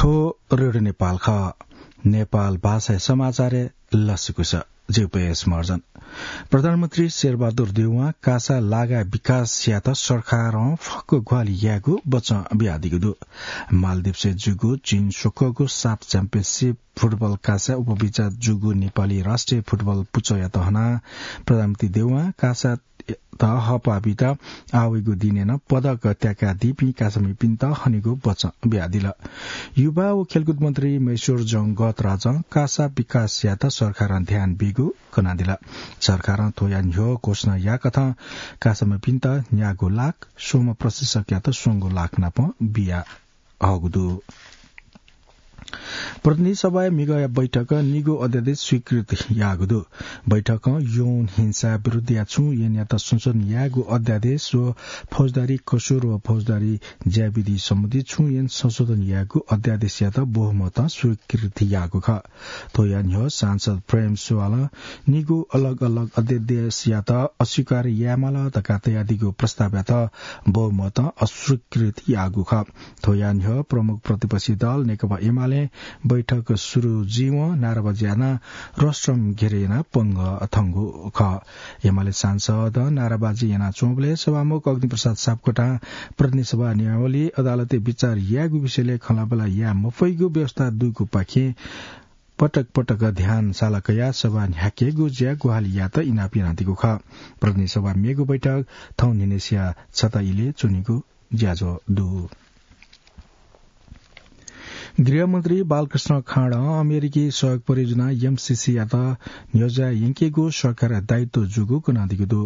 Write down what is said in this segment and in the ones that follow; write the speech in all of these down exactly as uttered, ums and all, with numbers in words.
थ्व रेडियो नेपाल खः। नेपाल भाषाया समाचारय् लसकुस। जिगु पेश मर्जन। प्रधानमन्त्री शेरबहादुर देउवां कासा लागा विकास यायेत सरकारं फक्व ग्वाहालि यायेगु बचं बियादीगु दु। मालदिप्सय् जूगु चीन स्वकःगु साफ च्याम्पियनसिप फुटबल कासा उपविजेता जूगु नेपाली राष्ट्रिय फुटबल पुचःयात हनाः प्रधानमन्त्री देउवां कासा त हःपाः बीत आः वइगु दिनय् नं पदक त्याकादीपिं कासामिपिन्त हनेगु बचं बियादिल। युवा व खेलकुद मन्त्री महेश्वर जंगतराजं कासा विकास यायेत सरकारं ध्यान बीगु कनादिल। सरकारं थ्वया न्ह्यः घोषणा याःकथं कासामिपिन्त न्यागू लाख, स्वम्ह प्रशिक्षकयात स्वंगू लाख नाप बिया हःगु दु। प्रतिनिधि सभाया म्हिगःया बैठकं निगू अध्यादेश स्वीकृत याःगु दु। बैठकं यौन हिंसा विरुद्धया छुं ऐनयात संशोधन यायेगु अध्यादेश व फौजदारी कसुर व फौजदारी ज्याविधि सम्बन्धी छुं ऐन संशोधन यायेगु अध्यादेशयात बहुमतं स्वीकृति याःगु खः। थ्वया न्ह्यः सांसद प्रेम सुवालं निगू अलग अलग अध्यादेशयात अस्वीकार यायेमाल धकाः तयादीगु प्रस्तावयात बहुमतं अस्वीकृत याःगु खः। थ्वया न्ह्यः प्रमुख प्रतिपक्षी दल नेकपा एमाले बैठक सुरु जुइवं नाराबाजी यानाः रस्ट्रम घेरे यानाः पंगः थंगु खः। एमाले सांसदं नाराबाजी यानाच्वंबलय् सभामुख अग्निप्रसाद सापकोटां प्रतिनिधि सभा नियमावली अदालतय् विचार यायेगु विषयलय् खँल्हाबल्हा याये मफइगु व्यवस्था दुगुपाखें पटक पटक ध्यान साला कयाः सभा न्ह्याकेगु ज्या ग्वाहालि यायेत इनाप यानादीगु खः। प्रतिनिधि सभा मेगु बैठक थौं न्हिनय्सिया छता इलय् च्वनीगु ज्याझ्वः दु। गृहमन्त्री बालकृष्ण खाँडं अमेरिकी सहयोग परियोजना एमसिसीयात न्ह्यज्याः यंकेगु सरकारया दायित्व जूगु कनादीगु दु।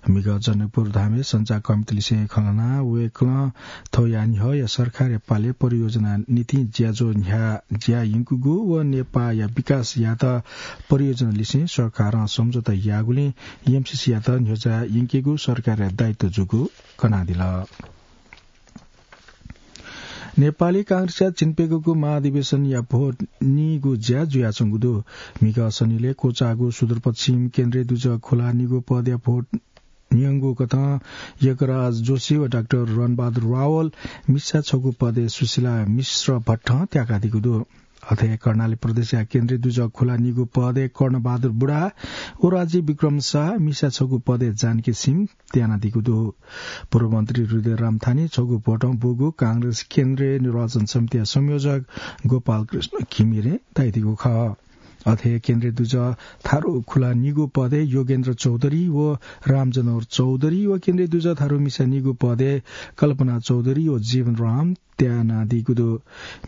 म्हिगः जनकपुर धामय् सञ्चारकर्मीतलिसें खँ ल्हानाः वय्कलं थौंया न्ह्यःया सरकारया पालय् परियोजना निंतिं ज्याझ्वः न्ह्याज्याः यंकूगु व नेपाःया विकास यायेत परियोजना लिसें सरकारं सम्झौता याःगुलिं एमसिसीयात न्ह्यज्याः यंकेगु सरकारया दायित्व जूगु कनादिल। नेपाली कांग्रेसया झिंप्यघौंगु महाधिवेशनया भोट नीगु ज्या जुयाच्वंगु दु। म्हिगः सनिलय् क्वचाःगु सुदूरपश्चिम केन्द्रीय दुजः खुला नीगु पदया भोट न्यंगु कथं यज्ञराज जोशी व डाक्टर रणबहादुर रावल, मिसा छगू पदय् सुशीला मिश्र भट्टं त्याकादीगु दु। अथे कर्णाली प्रदेशया केन्द्रीय दुजः खुला नीगु पदय् कर्णबहादुर बुढा व राजीव विक्रम शाह, मिसा छगू पदय् जानकी सिंह त्यानादीगु दु। पूर्व मन्त्री हृदयराम थानी छगू भोटं बूगु कांग्रेस केन्द्रीय निर्वाचन समितिया संयोजक गोपालकृष्ण घिमिरें धयादीगु खः। अथे केन्द्रीय दुजः थारु खुला नीगु पदय् योगेन्द्र चौधरी व रामजनौर चौधरी व केन्द्रीय दुजः थारु मिसा नीगु पदय् कल्पना चौधरी व जीवनराम त्यानादीगु दु।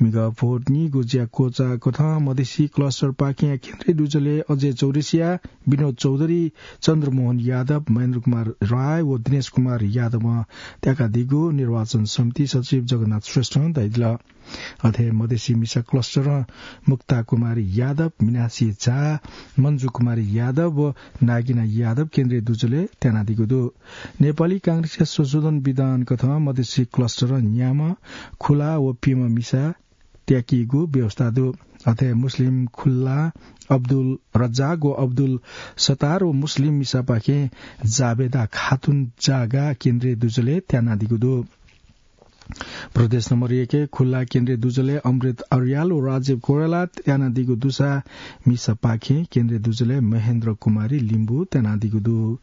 म्हिगः भोट नीगु ज्या क्वचाः कथं मधेसी क्लस्टरपाखें केन्द्रीय दुजलय् अजय चौरसिया, विनोद चौधरी, चन्द्रमोहन यादव, महेन्द्र कुमार राय व दिनेश कुमार यादवं त्याकादीगु निर्वाचन समिति सचिव जगन्नाथ श्रेष्ठं धयादिल। अथे मधेसी मिसा क्लस्टरं मुक्ता कुमारी यादव, मिनासी झा, मन्जु कुमारी यादव व नागिना यादव केन्द्रीय दुजलय् त्यानादीगु दु। नेपाली कांग्रेसया संशोधन विधान कथं मधेसी क्लस्टरं न्याम्ह खुला व प्यम्ह मिसा त्याकीगु व्यवस्था दु। अथे मुस्लिम खुला अब्दुल रज्जाक व अब्दुल सत्तार व मुस्लिम मिसापाखें जाबेदा खातुन जागा केन्द्रीय दुजलय् त्यानादीगु दु। प्रदेश नम्बर एक खुला केन्द्रीय दुजलय् अमृत अर्याल व राजीव कोइराला त्यानादीगु दुसा मिसापाखें केन्द्रीय दुजलय् महेन्द्र कुमारी लिम्बू त्यानादीगु दु।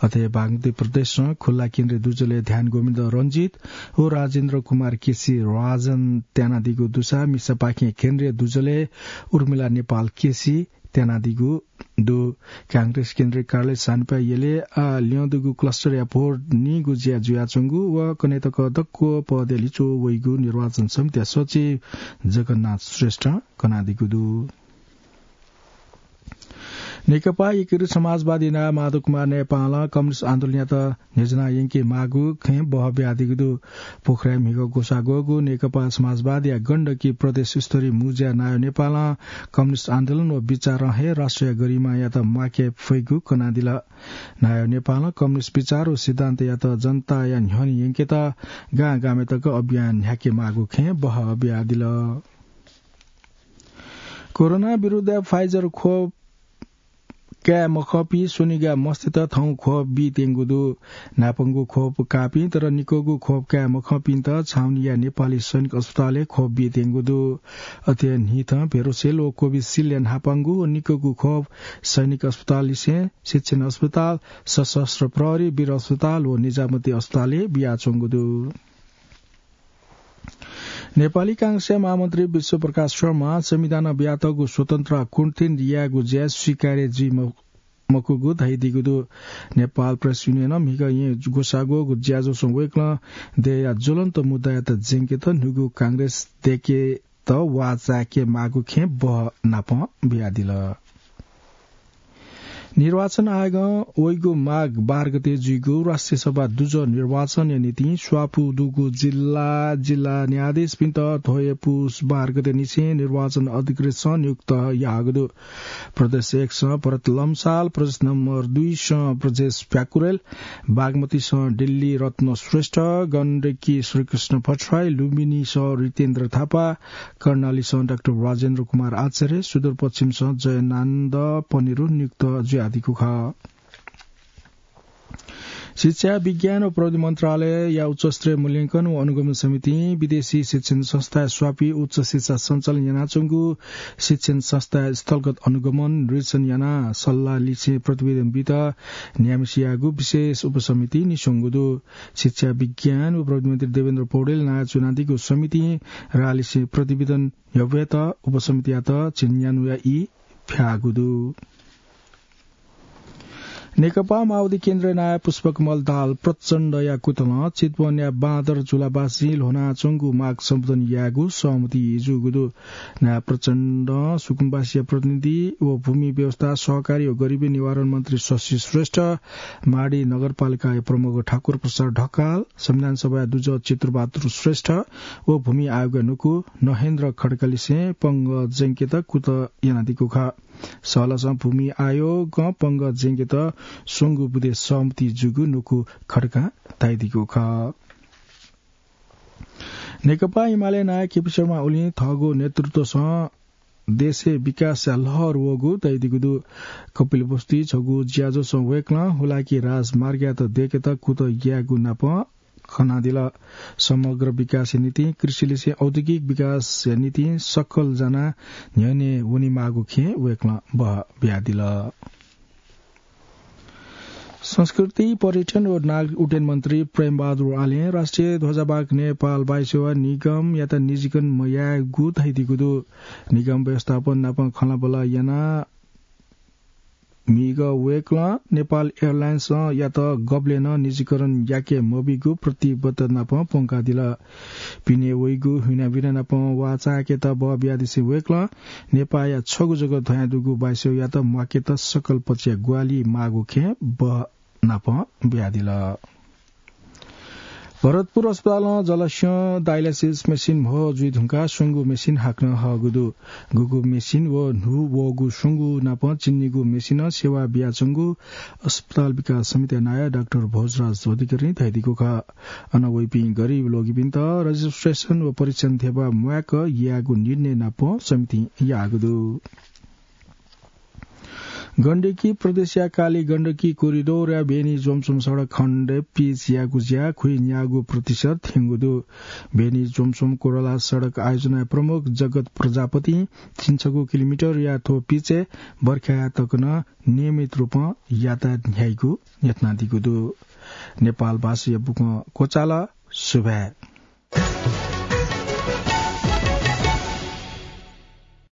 अथे बागमती प्रदेशं खुला केन्द्रीय दुजलय् ध्यान गोविन्द रञ्जित व राजेन्द्र कुमार केसी राजन त्यानादीगु दुसा मिसापाखें केन्द्रीय दुजलय् उर्मिला नेपाल केसी त्यानादीगु दु। कांग्रेस केन्द्रीय कार्यालय सानिपा यलय् आः ल्यं दुगु क्लस्टरया भोट नीगु ज्या जुयाच्वंगु व कन्हय् तक दक्व पदया लिच्वः वइगु निर्वाचन समितिया सचिव जगन्नाथ श्रेष्ठं कनादीगु दु। नेकपा एकीकृत समाजवादी नायः माधव कुमार नेपालं कम्युनिस्ट आन्दोलनयात न्ह्यज्याना यंके माःगु खँय् बहः बियादीगु दु। पोखराय् म्हिगः ग्वसाः ग्वःगु नेकपा समाजवादीया गण्डकी प्रदेश स्तरीय मुँज्या नायः नेपालं कम्युनिस्ट आन्दोलन व विचारं हे राष्ट्रिय गरिमायात म्वाके फइगु कनादिल। नायः नेपालं कम्युनिस्ट विचार व सिद्धान्तयात जनताया न्ह्यःने यंकेत गां गामय् तक अभियान न्ह्याके माःगु खँय् बहः बियादिल। कोरोना विरुद्ध Pfizer खोप काये मखंपिं स्वनिगः मस्तय्त थौं खोप बीत्यंगु दु। न्हापांगु खोप काःपिं तर निकःगु खोप काये मखंपिन्त छाउनीया नेपाली सैनिक अस्पतालय् खोप बीत्यंगु दु। अथे हे न्हिथं भेरोसेल व कोभिसिल्डया न्हापांगु व निकःगु खोप सैनिक अस्पताललिसें शिक्षण अस्पताल, सशस्त्र प्रहरी, वीर अस्पताल व निजामती अस्पतालय् बियाच्वंगु दु। नेपाली कांग्रेसया महामन्त्री विश्वप्रकाश शर्मा संविधानं बियातःगु स्वतन्त्र आ कुटनीति यायेगु ज्या स्वीकार्य जुइ म-, मखुगु धयादीगु दु। नेपाल प्रेस युनियनं म्हिगः येँ ग्वसाः ग्वःगु ज्याझ्वलय् वय्कलं देय्‌या ज्वलन्त मुद्दायात ज्यंकेत न्हूगु कांग्रेस दय्‌केत वाःचाय्‌के माःगु खँय् बहनापं बियादिल। निर्वाचन आयोगं वइगु माघ बाह्र गते जुइगु राष्ट्रिय सभा दुजः निर्वाचनया निंतिं स्वापू दुगु जिल्ला, जिल्ला न्यायाधीशपिन्त थ्व हे पुस बाह्र गते निसें निर्वाचन अधिकृतसं नियुक्त याःगु दु। प्रदेश एकसं भरत लम्साल, प्रदेश नम्बर दुईसं ब्रजेश प्याकुरेल, बागमतीसं दिल्ली रत्न श्रेष्ठ, गण्डकी श्रीकृष्ण भट्टराई, लुम्बिनीसं रितेन्द्र थापा, कर्णालीसं डाक्टर राजेन्द्र कुमार आचार्य, सुदूरपश्चिमसं जयनान्द पनेरु नियुक्त जुयादीगु खः। शिक्षा, विज्ञान व प्रविधि मन्त्रालयया उच्चस्तरीय मूल्यांकन व अनुगमन समितिं विदेशी शिक्षण संस्थाय् स्वापी उच्च शिक्षा सञ्चालन यानाच्वंगु शिक्षण संस्थाय् स्थलगत अनुगमन निरीक्षण यानाः सल्लाह लिसें प्रतिवेदन बीत न्ह्याम्हसियागु विशेष उपसमितिं न्ह्यसंगु दु। शिक्षा, विज्ञान व प्रविधि मन्त्री देवेन्द्र पौडेल नायः च्वनादीगु समितिं राः लिसें प्रतिवेदन यःब्वयेत उपसमितियात झिंन्यान्हुया ई फ्याःगु दु। नेकपा माओवादी केन्द्रया नायः पुष्पकमल दाहाल प्रचण्डया कुतलं चितवनया बाँदर झुलावासीं ल्ह्वनाच्वंगु माग सम्बोधन यायेगु सहमति जूगु दु। नायः प्रचण्डं सुकुम्बासीया प्रतिनिधि व भूमि व्यवस्था, सहकारी व गरिबी निवारण मन्त्री शशि श्रेष्ठ, माडी नगरपालिकाया प्रमुख ठाकुर प्रसाद ढकाल, संविधान सभाया दुजः चित्रबहादुर श्रेष्ठ व भूमि आयोगया नुकु नहेन्द्र खड्कालिसें पंगः ज्यंकेत कुतः यानादीगु खः। सहलसं भूमि आयोगं पंगः ज्यंकेत स्वंगू बुँदे सहमति जूगु नुकु खड्कां धयादीगु खः। नेकपा एमाले नायः केपी शर्मा ओलीं थःगु नेतृत्वसं देशय् विकासया लहर वःगु धयादीगु दु। कपिलवस्तुइ छगू ज्याझ्वलय् वय्कलं हुलाकी राजमार्गयात दय्केत कुतः यायेगु नाप खनादिल। समग्र विकासया निंतिं कृषिलिसें औद्योगिक विकासया निंतिं सकल जानाः न्ह्यःने वनेमाःगु खँय् वय्कलं बहः बियादिल। संस्कृति, पर्यटन व नागरिक उड्डयन मन्त्री प्रेमबहादुर आलें राष्ट्रिय ध्वजावाहक नेपाल वायुसेवा निगमयात निजीकरण मयायेगु धयादीगु दु। निगम व्यवस्थापन नाप खँल्हाबल्हा यानाः म्हिगः वय्कलं नेपाल एयरलाइन्सयात गबलें नं निजीकरण याके मबीगु प्रतिबद्धता नाप प्वंकादिल। पिने वइगु हुइनाबिना नाप वा चायेकेत बहः बियादिसें वय्कलं नेपाःया छगू जक धयादुगु वायुसेवायात म्वाकेत सकल पक्षया ग्वाहालि माःगु खँय् बहः नाप बियादिल। भरतपुर अस्पतालं जलस्यं डायलाइसिस मेसिन म्हो जुइ धुंकाः स्वंगू मेसिन हाकनं हःगु दु। गुगु मेसिन व न्हू वःगु स्वंगू नाप चिन्निगु मेसिनं सेवा बियाच्वंगु अस्पताल विकास समितिया नायः डाक्टर भोजराज अधिकारीं धयादीगु खः। अन वइपिं गरिब लोगिपिन्त रजिस्ट्रेसन व परीक्षण ध्यबा म्वायेक यायेगु निर्णय नाप समितिं याःगु दु। गण्डकी प्रदेशया काली गण्डकी कोरिडोरया बेनी जोमसोम सडक खण्डय् पिच यायेगु ज्या खुइ न्यागू प्रतिशत थ्यंगु दु। बेनी जोमसोम कोरला सडक आयोजनाया प्रमुख जगत प्रजापतिं झिंछगू किलोमिटरया थ्व पिचय् बर्खाया तक नं नियमित रूपं यातायात न्ह्याइगु न्ह्यथनादीगु दु। नेपाल भाषाया बुखँ क्वचाल। सुभाय्।